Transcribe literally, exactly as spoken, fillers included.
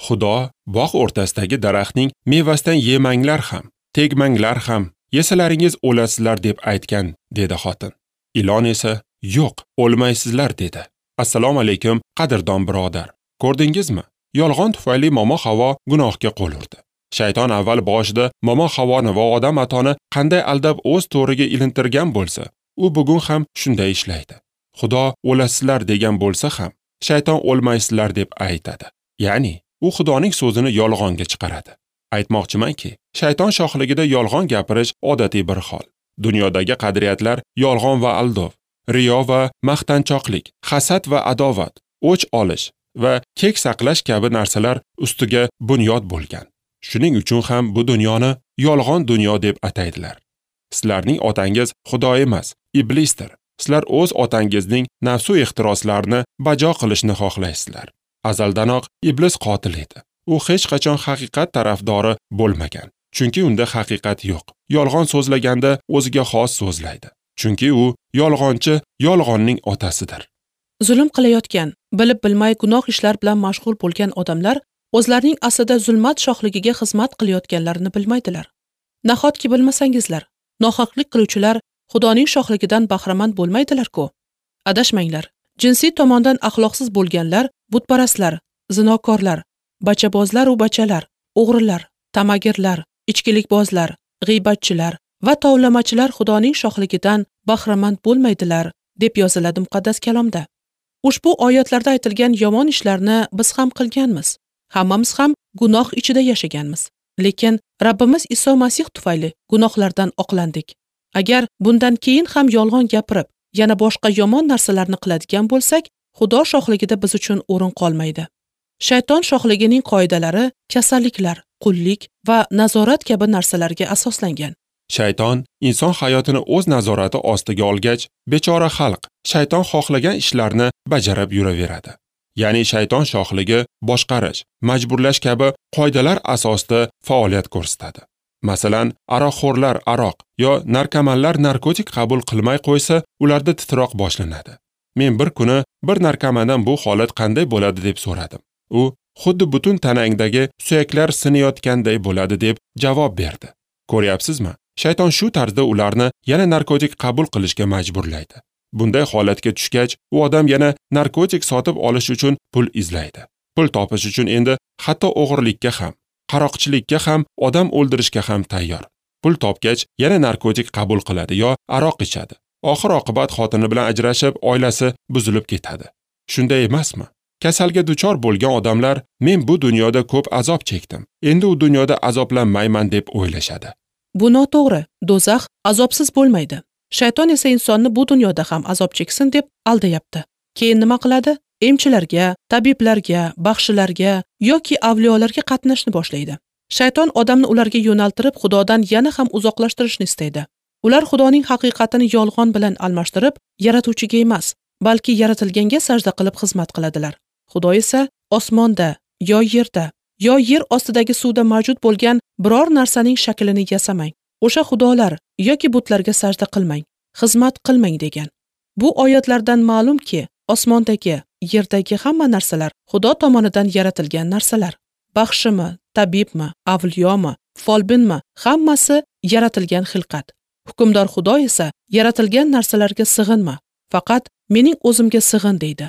Xudo bog' o'rtasidagi daraxtning mevasidan yemanglar ham, tegmanglar ham, yesalaringiz o'lasizlar deb aytgan, dedi xotin. Ilon esa, yo'q, o'lmaysizlar dedi. Assalomu alaykum, qadrdon birodar. Ko'rdingizmi? Yolg'on tufayli momo Havo gunohga qo'l urdi. Shayton avval boshida momo Havoni va Odam atoni qanday aldab o'z to'riga ilintirgan bo'lsa, u bugun ham shunday ishlaydi. Xudo o'lasizlar degan bo'lsa ham, shayton o'lmaysizlar deb aytadi. Ya'ni u Xudoning so'zini yolg'onga chiqaradi. Aytmoqchimanki, shayton shohligida yolg'on gapirish odatiy bir hol. Dunyodagi qadriyatlar yolg'on va aldov, riyo va maqtanchoqlik, hasad va adovat, o'ch olish va kek saqlash kabi narsalar ustiga bunyod bo'lgan. Shuning uchun ham bu dunyoni yolg'on dunyo deb ataydilar. Sizlarning otangiz Xudo emas, iblisdir. Sizlar o'z otangizning nafsu ehtiroslarini bajo qilishni xohlaysizlar. Azaldanoq iblis qotil edi. U hech qachon haqiqat tarafdori bo'lmagan. Chunki unda haqiqat yo'q. Yolg'on so'zlaganda o'ziga xos so'zlaydi. Chunki u yolg'onchi, yolg'onning otasidir. Zulm qilayotgan, bilib bilmay gunoh ishlar bilan mashg'ul bo'lgan odamlar o'zlarining aslida zulmat shohligiga xizmat qilayotganlarini bilmaydilar. Nahotki bilmasangizlar, nohaqlik qiluvchilar Xudoning shohligidan bahramand bo'lmaydilar-ku. Adashmanglar. Jinsiy tomondan axloqsiz bo'lganlar, butparastlar, zinokorlar, bachabozlar u bachalar, o'g'rilar, tamagirlar, ichkilikbozlar, g'iybatchilar va tovlamachilar Xudoning shohligidan bahramand bo'lmaydilar, deb yoziladi muqaddas kalomda. Ushbu oyatlarda aytilgan yomon ishlarni biz ham qilganmiz. Hammamiz ham gunoh ichida yashaganmiz. Lekin Rabbimiz Iso Masih tufayli gunohlardan oqlandik. Agar bundan keyin ham yolg'on gapirib, yana boshqa yomon narsalarni qiladigan bo'lsak, Xudo shohligida biz uchun o'rin qolmaydi. Shayton shohligining qoidalari kasalliklar, qullik va nazorat kabi narsalarga asoslangan. Shayton inson hayotini o'z nazorati ostiga olgach, bechora xalq shayton xohlagan ishlarni bajarib yuraveradi. Ya'ni shayton shohligi boshqarish, majburlash kabi qoidalar asosida faoliyat ko'rsatadi. Masalan, aroqxo'rlar aroq yo narkomanlar narkotik qabul qilmay qo'ysa, ularda titroq boshlanadi. Men bir kuni bir narkomandan bu holat qanday bo'ladi deb so'radim. U xuddi butun tanangdagi suyaklar sinayotganday bo'ladi deb javob berdi. Ko'ryapsizmi? Shayton shu tarzda ularni yana narkotik qabul qilishga majburlaydi. Bunday holatga tushgach, u odam yana narkotik sotib olish uchun pul izlaydi. Pul topish uchun endi hatto o'g'irlikka ham, qaroqchilikka ham, odam o'ldirishga ham tayyor. Pul topgach, yana narkotik qabul qiladi yo aroq ichadi. Oxir oqibat xotini bilan ajrashib, oilasi buzilib ketadi. Shunday emasmi? Kasalga duchor bo'lgan odamlar men bu dunyoda ko'p azob chekdim, endi u dunyoda azoblanmayman deb o'ylashadi. Bu noto'g'ri. Do'zax azobsiz bo'lmaydi. Shayton esa insonni bu dunyoda ham azob cheksin deb aldayapti. Keyin nima qiladi? Emchilarga, tabiblarga, baxshilarga yoki avliyolarga qatnashni boshlaydi. Shayton odamni ularga yo'naltirib, Xudodan yana ham uzoqlashtirishni istaydi. Ular Xudoning haqiqatini yolg'on bilan almashtirib, yaratuvchiga emas, balki yaratilganga sajda qilib xizmat qiladilar. Xudo esa osmonda yo yerda yo yer ostidagi suvda mavjud bo'lgan biror narsaning shaklini yasamang. O'sha xudolar yoki butlarga sajda qilmang, xizmat qilmang degan. Bu oyatlardan ma'lumki, osmondagi, yerdagi hamma narsalar Xudo tomonidan yaratilgan narsalar. Baxshimi, tabibmi, avliyomi, folbinmi, hammasi yaratilgan xilqat. Hukmdor Xudo esa yaratilgan narsalarga sig'inma, faqat mening o'zimga sig'in deydi.